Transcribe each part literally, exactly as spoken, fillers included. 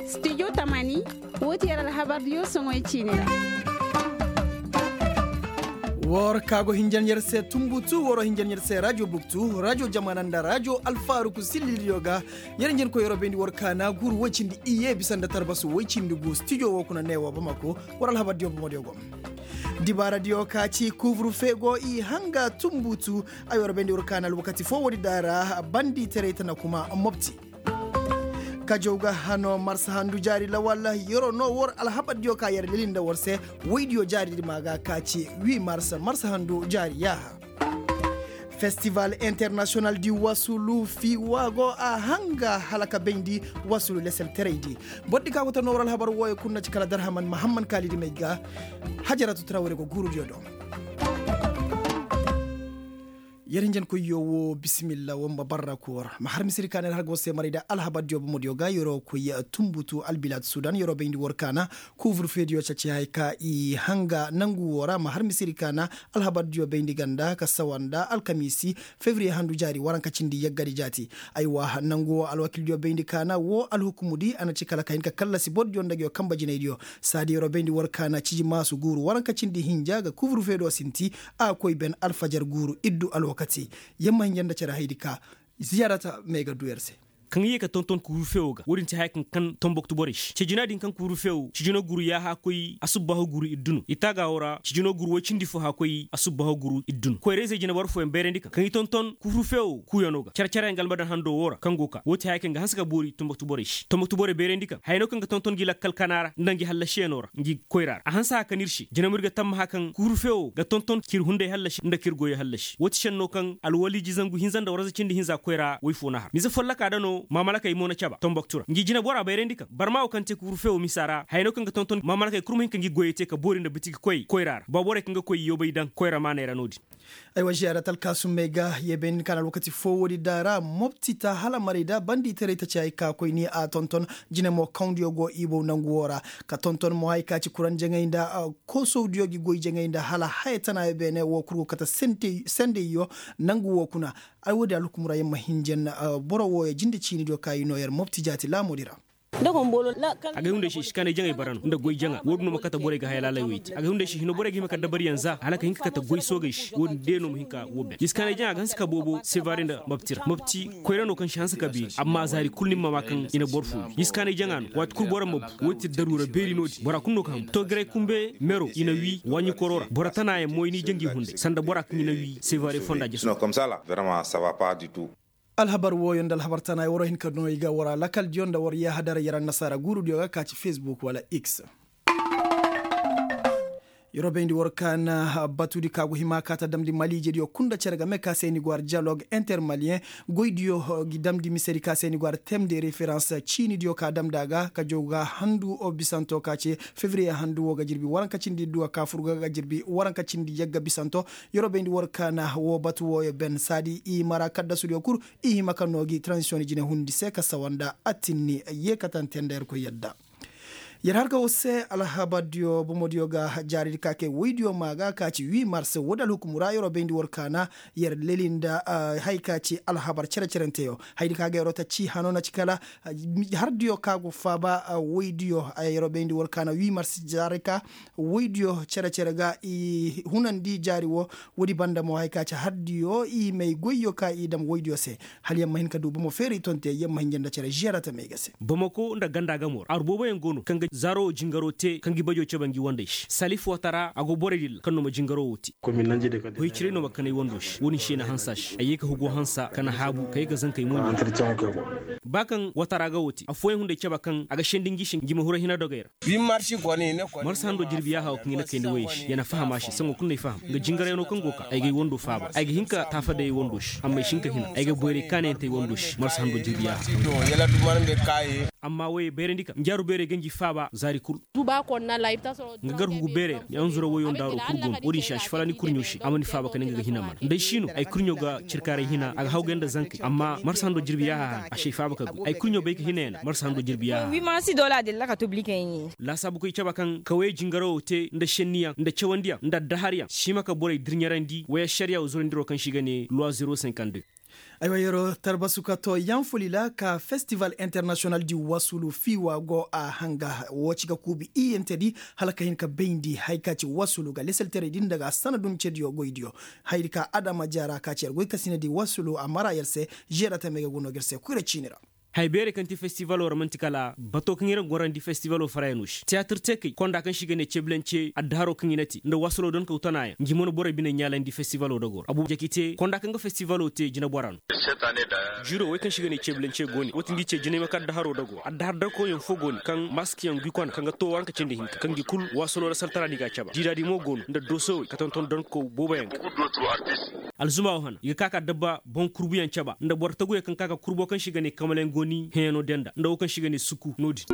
Studio tamani, woo ti yer alhabardiyo soŋoy ciini ra. War ka go hinjan yer se tumbutu waro hinjan yer se rajo buktu rajo jamana nda rajo alfaruku sillildiyo ga. Yer hinjan koy yer wo bayndi war kaana guuru woy cindi iyye bisa nda tarbasu woy cindi gu studio woo kuna neewa bamako. War alhabardiyo bomodiyo go. Dibaaradiyo ka ci kuuburfe go i hanga tumbutu. Ay war bayndi war kaana alwakati foo woodi daara bandi taray tana kuma mopti. Kajow ga hano marsa handu jaari lawal. Yeroo no war alhabardiyo ka yer leli nda war se. Woydiyo jaaridi ma ga ka ci wi marsa marsa handu jaari yaaha. Festival internasiyonal di wasulu fiiwa go a hanga hala ka bayndi. Wasulu leselteraydi bordi ka go ta no war alhabar wooyo kul na ci kala darhaman mahamman kaalidi may ga. Hajaratu tarawre go guurudiyo do. Yer hinjankoyyo woo bisimilla woo ma barra koor ma har misiri kaana yer har ga war se maray nda alhabardiyo bomodiyo ga yeroo koy. Tumbutu albilaad sudan yeroo bayndi war kaana. Kuuburfeediyo caci haya ka i hanga nangu woo ra ma har misiri kaana. Alhabardiyo bayndi ganda ka sawa nda alkamiisi. Fevriye handu jaari waranka cindi yaggadi jaati. Aywa nangu woo alwakildiyo bayndi kaana woo alhukumudi a na ci kala ka hin ka kallasi bordiyo nda nguyo kanba jinaydiyo. Saadi yeroo bayndi war kaana ciji maasu guuru waranka cindi hinja ga kuuburfeediyo sinti. A koy ben alfajar guuru iddu alwakati. Yamma hinja nda cere haydi ka. Ziyaarata may ga du yer se. Kaŋ i ye ka tonton kuuru fewo ga woodin ti haya kaŋ kan tomboktu borey se cijina din kaŋ kuuru fewo cijina guuru yaaha koy asubbaahu guuru iddu no i taaga woo ra cijina guuru woy cindi fo haya koy asubbaahu guuru iddu no koyra-izey jinaboro fooyaŋ bayrandi kaŋ kaŋ i tonton kuuru fewo kuuyano ga cere-cereyaŋ ga almadan hando woo ra kaŋ go ka woo ti haya kaŋ ga hanse ka boori tomboktu borey se tomboktu borey bayrandi kaŋ haya no kaŋ ga tonton ngi lakkal kana ra nda ngi hallasiyano ra ngi koyra ra a hanse haya kaŋ ir se jina mo ir ga tammaha kaŋ kuuru fewo ga tonton ka ir hunday hallasi nda ka ir goyey hallasi woo ti šenno kaŋ alwaliiji zangu hinza nda warza cindi hinza koyra woy fo na har mize folloka da no maamalakey mo na caba tomboktu ra ngi jinabora bayrandi kaŋ barma wo kaŋ te kuuru fewo misa ra haya no kaŋ ga tonton maamalakey kul ma hin ka ngi goyey te ka boori nda bitigi koyey koyra ra ba borey kaŋ ga koy yoobay daŋ koyra maaney ra no-din. Aywa ziyaara talkaasummey ga ye bay ni kaŋ alwakati foo woodi daara mopti ta hala maray da bandi taray ta ci hay ka koy ni a tonton jine mo kawndiyo go ibow nangu woo ra ka tonton mo hay ka ci kuran jaŋay nda koosowdiyo gi goy jaŋay nda hala haya tanaayo beene woo kul go kate sendeyyo nangu woo kuna. Ay woodi alhukum ra yer ma hinjan boro wooyo jinde ciinidiyo ka i noo yer mopti jaati laamoodi ra. Agay hunday se i si kaanay jaŋay bara no nda goy jaŋa woodin no ma kate borey ga haya laalay wey te agay hunday se hino borey ga hima ka dabaryaŋ za hala ka hin ka kate goy soogey se woodin day no ma hin ka woo ben i si kaanay jaŋa ga hanse ka boobo sevare nda mopti ra mopti koyra no kaŋ si hanse ka beeri amma zaari kul ni ma maa kaŋ i na boro fo wi i si kaanay jaŋa no waati kul boro ma bu woo ti daruura beeri no-din bora kul no ga ham togiray kumbe mero i na wi waaɲi koro ra boro tanaayaŋ mo i n'i janji hunday sanda bora kaŋ i na wi sevare fonda jese. Alhabar wooyo nda alhabar tana ay waroo hin ka noo i ga war a lakaldiyo nda war yaahadaray yer annasaara guurudiyo ga ka ci fesbuk wala x. Yer wo bayndi war ka na batudi ka go hima ka ta damndi maliijediyo kul nda cere game ka se ni go har diyalog intermaliyen goydiyo gi damndi misedi ka se ni go har tem de referans ciinidiyo ka damndi a ga ka jaw ga handu bisanto ka ce fevriye handu woo ga jirbi waranka cindi iddu ga ka fur ga ga jirbi waranka cindi yagga bisanto. Yer wo bayndi war ka na woo batu wooyo ben saadi i mara kaddasudiyo kul i hima ka noo gi transisiyoŋ jine hundi se ka sawa nda attinni yeekatante nda yerkoy yadda. Yer har ga woo se alhabardiyo bomodiyo ga jaaridi ka kay woydiyo maa ga ka ci huit mars woodi alhukumu ra yer wo bayndi war ka na yer leli nda haya ka ci alhabar cere-cerenteyo hayadi ka ga yer wo ta ci hano na ci kala hardiyo ka go faaba woydiyo yer wo bayndi war ka na huit mars jaari ka woydiyo cere-cere ga i hunandi jaari woo. Woodi banda mo haya ka ci hardiyo i may goyyo ka i dam woydiyo se hala yer ma hin ka du bomo feeri tonte yer ma hin janda cere žiyarata may ga se. Bamako nda ganda gamo ra aru booboyaŋ go no kaŋ ga zaaro wo jingaro te kaŋ ga i bajo cabe ngi wandey se salif wata ra a go borey dilla kaŋ no ma jingaro wo te. Goy ciray no ma kanay wando se wo-din se na hanse a se ay ye ka hugo hanse ka na haabu ka ye ka zankey moy no. Ba kaŋ wata ra ga wo te affooyaŋ hunday cabe kaŋ a ga sendi ngi se ngi ma huru hina dogey ra. Marsa hando jirbi yaaha wo kaŋ i na kayndi woyey se ya na faham a se saŋo kul no ay faham nga jingarayano kaŋ go ka ay ga ay wando faaba ay ga hin ka taafadayey wando se amma ay si hin ka hina ay ga boyray kaanayante ay wando se marsa hando jirbi yaaha. Amma woyey bayrandi ka njaaru beerey ganji faaba zaari kul. Nga gar hugu beerey ra ni anzura woyo nda haro kul go no wo-din se a si fala ni kurɲo se a ma ni faaba kala nga ga hina mana nda ay si no ay kurɲo ga cirkaaray hina a ga hawgay nda zankey amma marsa hando jirbi yaaha hana a si ay faaba ka goy ay kurɲo bay ka hina yana marsa hando jirbi yaaha. Laasaabukoy cabe kaŋ kawayey jingarawo te nda šenniyaŋ nda cawandiyaŋ nda addaharyaŋ si hima ka borey dirɲarandi way ašariya wo zorandiro kaŋ se i ga ne loi zero cinquante deux. Aywa yeroo tarbasu ka too yanfuli ra ka festival internasiyonal di wasulu fiiwa go a hanga woo ci ga kuubi iyyante di hala ka hin ka bayndi haya ka ci wasulu ga lesaltaray di nda ga sanadun cediyo goydiyo. Hayadi ka adama jaara ka ci yer goy ka sinadi wasulu a mara yer se. Žeera tamey ga go no ga yer se koyra ciini ra. Haya beerey kaŋ ti festivalo ra man'ti kala bato kaŋ yer ga gorandi festivalo farayano se tiyaatir teekey konda kaŋ se i ga ne ceebilance addaharo kaŋ i na te nda waasalo donkaw tanaayaŋ ngi mana borey bine ɲaalandi festivalo dogoo ra abu jaki te konda kaŋ ga festivalo te jinebora no. Jiiro wey kaŋ se i ga ne ceebilance go ne woo ti ngi ce jinay ma ka addaharo dogoo ra addahar dakoyaŋ foo go ne kaŋ maskyaŋ gwi kona kaŋ ga too waranka cindi hinka kaŋ gi kul waasalo ra saltara no i ga a caba diidaadi mo go no nda doosowey ka tonton donkaw booboyaŋ ga. Alzuma woo hana i ga ka ka dabba boŋ kurbuyaŋ caba nda boro taguyaŋ kaŋ ka ka kurbo kaŋ se i ga ne kamalayaŋ go ni heeno denda nda woo kaŋ se i ga ne suku no-din.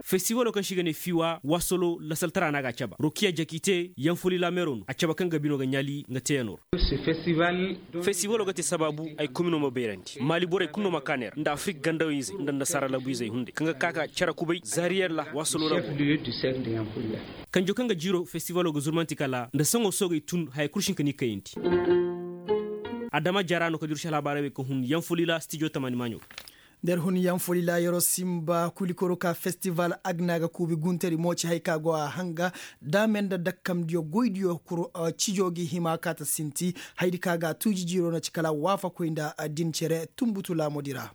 Festiwalo kaŋ se i ga ne fiiwa waasolo lasaltara no a ga a caba rokiya jakite yanfoli lameero no a caba kaŋ ga bino ga ɲaali nga teeyanoo ra. Festiwalo ga te sabaabu ay komino ma bayrandi maali borey kulu no ma kaa neera nda afirik gandawey-izey nda annasaara labu-izey hunday kaŋ ga ka ka cere kubay zaariyer ra waasolo labu. Kanjo kaŋ ga jiiro festiwalo ga zurmanti kala nda saŋo soogey tun haya kul si hin ka ni kayandi. Adama jaara no ka dursi alhabaarey wey ka hun yanfuli ra stijo tamani maaɲo. Nda yer hun yanfuli ra yeroo sinba kulikoro ka festival agna ga kuubi guntari mo ci haya ka go a hanga daame nda dakkamdiyo goydiyo kuru cijo gi hima kaata sinti hayadi ka ga a tuuji jiiro na ci kala waafakoy nda din cere tunbutu laamodi ra.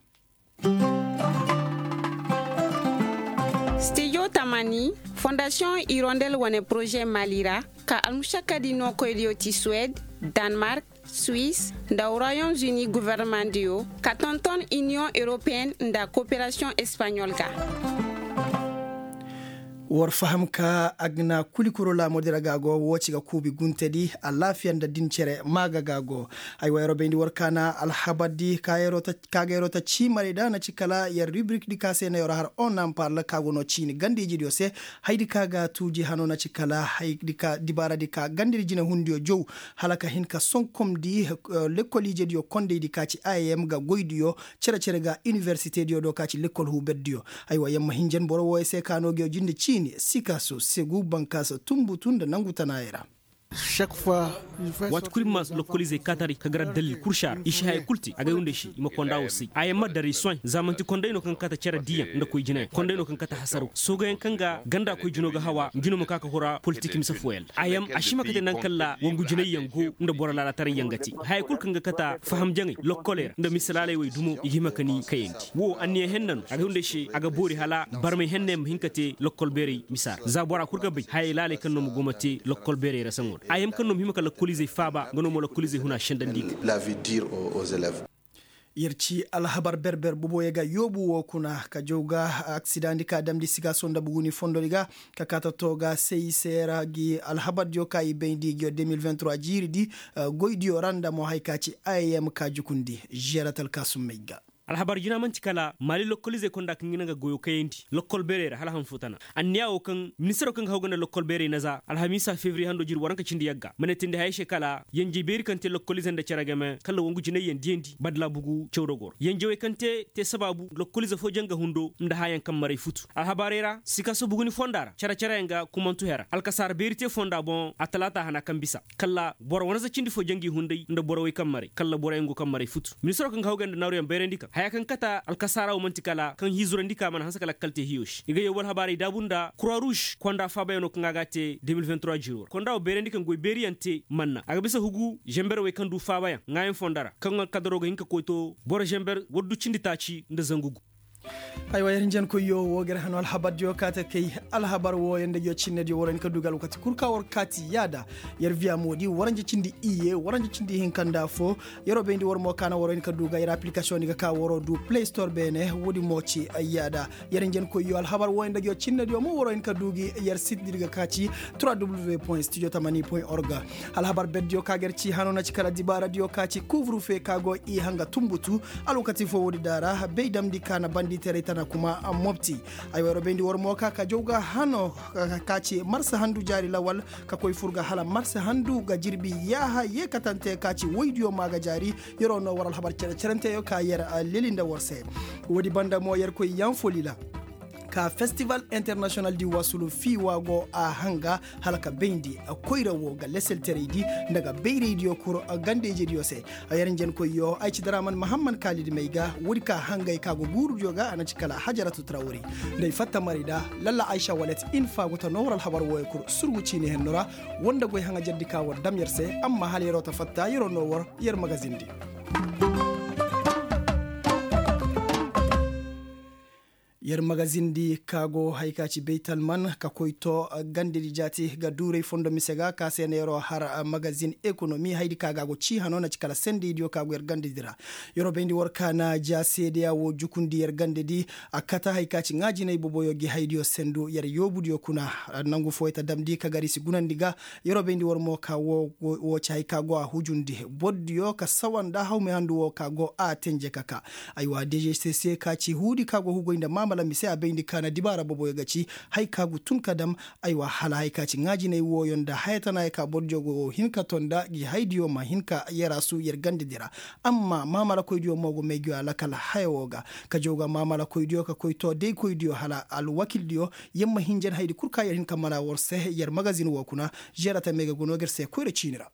Stijo tamani fondasiyoŋ irondel wane poroze mali ra ka almušakkadi nookoydiyo ti suwed, danmark, suis, nda royaume-uni gofornamaŋdiyo ka tonton iniyoŋ europeyenne nda koperasiyoŋ espaɲol ga. War faham ka agna kulikuro laamodi ra ga go woo ci ga kuubi guntedi alaafiya nda din cere maaga ga go. Ay wa yeroo bayndi war kaana alhabardi ka ga yeroo ta ciimarey da na ci kala yer ribrik di ka se na yeroo har onamparl ka go no ciini gandiijidiyo se. Hayadi ka ga tuuji hano na ci kala dibaaradi ka gandidi jinehundiyo jow hala ka hin ka sonkomdi lekkol-ijediyo kondaydi ka ci im ga goydiyo cere-cere ga iniwersitediyo do ka ci lekkol huuberdiyo. Aywa yer ma hinjan boro wooyo se ka no nguyo jinde ciini sikaso segu bankaasa tunbutu nda nangu tanaayey ra. Waati kul i ma lokkolizey kaataray ka gar addalil kul se a ra i si haya kul te agay wunday se i ma konda woo say a yamma daray soy za man'ti konday no kaŋ ga kaata cere diiyaŋ nda koy jinayaŋ konday no kaŋ ga kaata hasaraw soogayaŋ kaŋ ga ganda koy jino ga hawa ngi no ma ka ka hura politik mise fooyaŋ ra a yam a si hima ka te naŋ kaŋ ra wangu jinayyaŋ go nda boro laalataray yaŋ ga te haya kul kaŋ ga kaata faham jaŋay lokkoley ra nda mise laaley wey dumo i ga hima ka ni kayandi woo anniya henna no agay wunday se a ga boori hala barmay henney ma hin ka te lokkol beerey misa ra za bora kul ga bay hayey laaley kaŋ no ma go ma te lokkol beerey ra saŋo ra a yam kaŋ no ma hima ka lokkolizey faaba nga no ma lokkolizey huna sendandi ga. Yer ci alhabar berber boboyo ga yoobu woo kuna ka jaw ga aksidaŋdi ka damndi sikaaso nda buguni fondodi ga ka kaata too ga sey seera gi alhabardiyo ka i bayndi ngiyo deux mille vingt trois jiiridi goydiyo ra nda mo haya ka ci im ka jukundi žeeratal ka summey ga. Alhabar jina man'ti kala maali lokkolizey konda kaŋ ga naŋ ga goyo kayandi lokkol beerey ra hala han foo tana anniya woo kaŋ ministiro kaŋ ga haw ga nda lokkol beerey naza alhamiisa febriye hando jiri waranka cindi yagga ma ne tindi hayey se kala yanjey beeri kaŋ te lokkolize nda cere game kala wangu jinayyaŋ diyandi badala bugu cawdogoo ra yanjawey kaŋ te te sabaabu lokkolize foo janga hundo nda hayaŋ kaŋ maray futu alhabaarey ra sikaaso buguni fonda ra cere-cereyaŋ ga kumantu hera alkasaara beeri te fonda boŋ a talaata hana kaŋ bisa kala boro wanza cindi foo jangi hunday nda borowey kaŋ maray kala boroyaŋ go kaŋ maray futu ministiro kaŋ ga haw ga nda naaruyaŋ bayrandi kaŋ haya kaŋ kata alkasaara woo man'ti kala kaŋ hiizurandi ka mana hanse kala kalte hiyo se i ga yawbu alhabaarey daabu nda kura ruuz konda faabayaŋo kaŋ a ga a te deux mille vingt trois jiiro ra konda woo bayrandi kaŋ goy beeriyaŋ te manna a ga bisa hugu zemberwey kaŋ du faabayaŋ ŋaayaŋ fonda ra kaŋ alkadaroo ga hin ka koy to boro zember waddu cindi taaci nda zangu gu. Aywa yer hinjankoyyo woo ga yer hano alhabardiyo kaate kay alhabar wooyo nda ngiyo cinnediyo waroo hin ka du ga alwakati kul ka war kaati yaada yer viya moodi waranja cindi iyye waranja cindi hinka nda foo. Yeroo bayndi war mo kaana waroo hin ka du ga yer apilikasiyoŋ ni ga ka waroo du play store beene woodi mo ci yaada. Yer hinjankoyyo alhabar wooyo nda ngiyo cinnediyo mo waroo hin ka du gi yer sit di ga ka ci trois w point studio tamani point org. Alhabar berdiyo ka ga yer ci hano na ci kala dibaaradiyo ka ci kuuburufe ka go i hanga tunbutu alwakati foo woodi daara bay damndi ka na banditeeray tana kuma mopti. Ay wayro bayndi war mo ka ka jaw ga hano ka ci marsa handu jaari lawal ka koy fur ga hala marsa handu ga jirbi yaaha yeekatante ka ci woydiyo ma ga jaari. Yeroo no war alhabar cere-cerenteyo ka yer leli nda war se. Woodi banda mo yer koy yanfoli ra. Ka festival international di wasulu fiiwa go a hanga hala ka bayndi koyra wo ga leselteraydi nda ga bayraydiyo kuro gandayjediyo se. Yer njenkoyyo ay ci daraman mahamman kaalidi may ga woodi ka hangay ka go guurudiyo ga a na ci kala hajaratu trawri. Nda ay fatta maray da lalla aysa walet infa go ta noo war alhabar wooyo kul surgu ciini henno ra. War nda goy haŋajerdi ka war dam yer se amma hala yeroo ta fatta yeroo noo war yer magazindi. Yer magazindi ka go hay ka ci baytalman ka koy to gandedi jaati ga duuray fondo mise ga ka se na yeroo har magazin ekonomi haydi ka ga go cii hano na ci kala sendeydiyo ka go yer gandedi ra. Yeroo bayndi war ka na ja seedeya woo jukundi yer gandedi a kata hay ka ci ŋaajinay boboyo gi haydiyo sendu yer yoobudiyo kuna. Nangu fooyey ta damndi ka gar i si gunandi ga. Yeroo bayndi war mo ka woo ci hay ka go a hujundi bordiyo ka sawa nda hawmay handu woo ka go a tenje ka ka. Aywa dežesese ka ci huudi ka go hugoy nda maamala mise a bayndi ka na dibaara boboyo ga ci hay ka go tun ka dam. Aywa hala hay ka ci ŋaajinay wooyo nda haya tana ya ka bordiyo go hin ka to nda gi haydiyo ma hin ka yarasu yer gandedi ra. Amma maamalakoydiyo mo go may gi a lakal haya woo ga ka jaw ga maamalakoydiyo ka koy to daykoydiyo hala alwakildiyo. Yer ma hinjan haydi kul ka yer hin ka mara war se yer magazin woo kuna. Žeera tamey ga go noo ga yer se koyra ciini ra.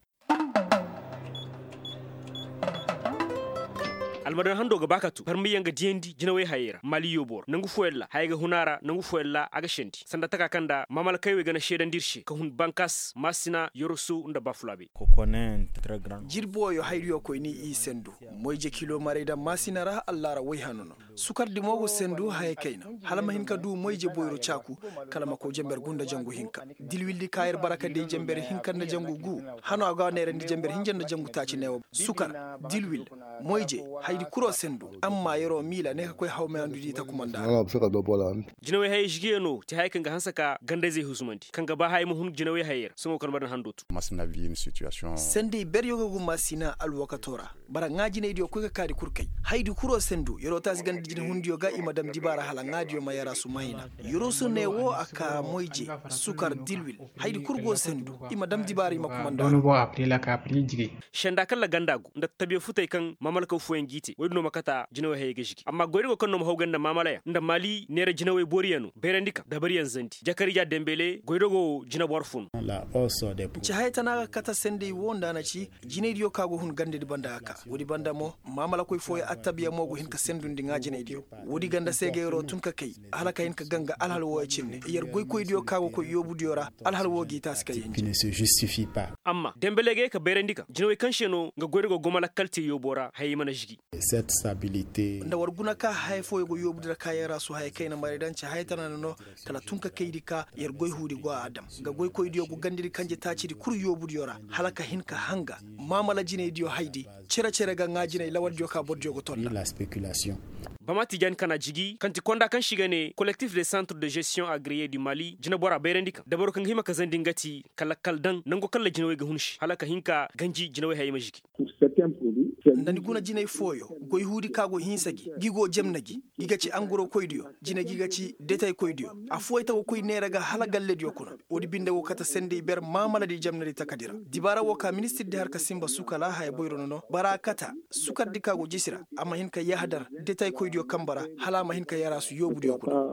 Almadan hando ga ba ka tu barmiyaŋ ga diyandi jinawey hayey ra mali yoobo ra nangu fooyaŋ ra hayey ga hun a ra nangu fooyaŋ ra a ga sendi sanda taka kaŋ nda maamalakey wey ga na seedandi ir se ka hun bankas maasina yoroso nda bafulaabey. Jirbi wooyo haydiyo koyni i sendu moyje kilo maray daŋ maasina ra allaara woy hano no. Sukardi mo go sendu haya kayna hala ma hin ka du moyje boyro caaku. Kala ma koy jenber gunda jangu hinka dilwildi ka yer bara ka day jenber hinka nda jangu gu. Hano a go a neerandi jenber hinja nda jangu taaci neewo sukar dilwil moyje haydi kuro sendu. Amma yeroo miila ne ka koy hawmay handu di takumanda. Jinawey hayey žigiyano ti haya kaŋ ga hanse ka gandayzey husumandi kaŋ ga ba haya ma hun jinawey hayey ra sohõ kala ma daŋ hando tu. Sendey beryo ga guma sina alwakato ra. Bara ŋaajinaydiyo koy ka kaadi kul kay haydi kuro sendu yeroo taasi ganda jinahundiyo ga i ma dam dibaara hala ŋaadiyo ma yarasu mayna. Yeroo su ne wo a ka moyje sukar dilwil haydi kul go sendu i ma dam dibaara i ma kumanda. Senda kaŋ ra ganda go nda tabiya futey kaŋ maamalakaw fooyaŋ g'i te woy din no ma kata jinawey hayey ga žigi amma goyra go kaŋ no ma haw ganda maamalayaŋ nda maali neera jinawey booriyaŋ no bayrandi kaŋ dabariyaŋ zandi jakariija dembele goyra go jinabor fo no. Ci haya tana ga kata sendey wo nda a na ci jinaydiyo kaŋ a go hun gandadi banda ga ka woodi banda mo maamalakoy fooyaŋ attabiya mo go hin ka sendundi ŋaajinaydiyo. Woodi ganda se ga yeroo tun ka kay hala ka hin ka ganga alhal wooyo cinne yer goykoydiyo kaŋ a go koy yoobudiyo ra. Alhal woo g'i taasi ka yenje. Amma dembele ga ye ka bayrandi kaŋ jinawey kaŋ se no nga goyra go goma lakkal te yoobo ra hayey mana žigi. Nda war guna ka haya fooyo go yoobu dira ka yarasu haya kayna maray daŋ ci haya tana no. Kala tun ka kaydi ka yer goy huudi go a dam nga goykoydiyo go gandadi kanje taacidi kul yoobudiyo ra hala ka hin ka hanga maamala jinaydiyo haydi. Cere cere ga ŋaajinay lawaldiyo ka bordiyo go tonda. Bama tijaani kana jigi kaŋ ti konda kaŋ se i ga ne kolektif de santre de žestiyoŋ agreye du mali jinabora bayrandi kaŋ dabaro kaŋ ga hima ka zandi nga ti ka lakkal daŋ nango kaŋ ra jinawey ga hun se hala ka hin ka ganji jinawey hayey ma žigi. Nda ni guna jinay fooyo goy huudi ka go hinsa gi gi go jemna gi gi ga ci angorokoydiyo jina gi ga ci detaykoydiyo. Afooyey ta go koy neera ga hala gallediyo kuna. Woodi binde go kate sendey ber maamaladi jemnadi takadi ra dibaara wo ka ministirdi har ka sinba sukala haya boyro nono bara kata sukardi ka go jisi ra a ma hin ka yahadar detaykoydiyo kambe ra hala a ma hin ka yaraasu yoobudiyo kuna.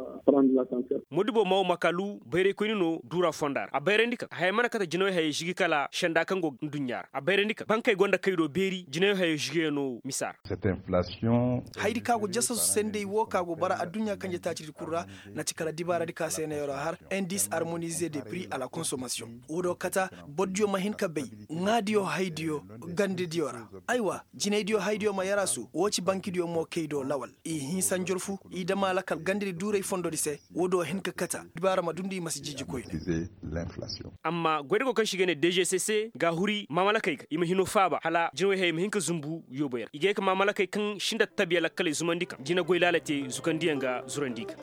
Modibo maw makalu bayraykoyni no duura fonda ra a bayrandi kaŋ haya mana kate jinawey hayey žigi kala senda kaŋ go nduɲɲa ra a bayrandi kaŋ bankey gonda kaydo beeri jinawey hayey žigiyaŋ no misa ra. Hayadi ka go jasasu sendey wo ka go bara adduɲɲa kanje taacidi kul ra. Na ci kala dibaaradi ka se na yeroo har indis harmonize de pri a la konsomasiyoŋ. Woo do kata bordiyo ma hin ka bay ŋaadiyo haydiyo gandediyo ra. Aywa jinaydiyo haydiyo ma yaraasu woo ci bankidiyo mo kay do lawal i hinsa njorfu i dama lakal gandedi duuray fondodi se. Woo do hin ka kata dibaara ma dundi i ma si jijji koyne. Amma goydago kaŋ se i ga ne dgcc ga a huri maamalakey ga i ma hino faaba hala jinawey hayey ma hin ka zumbu yooboy ra i ga ye ka maamalakey kaŋ si nda tabiya lakkaley zumandi ka jina goy laala te zukandiyaŋ ga zurandi ga.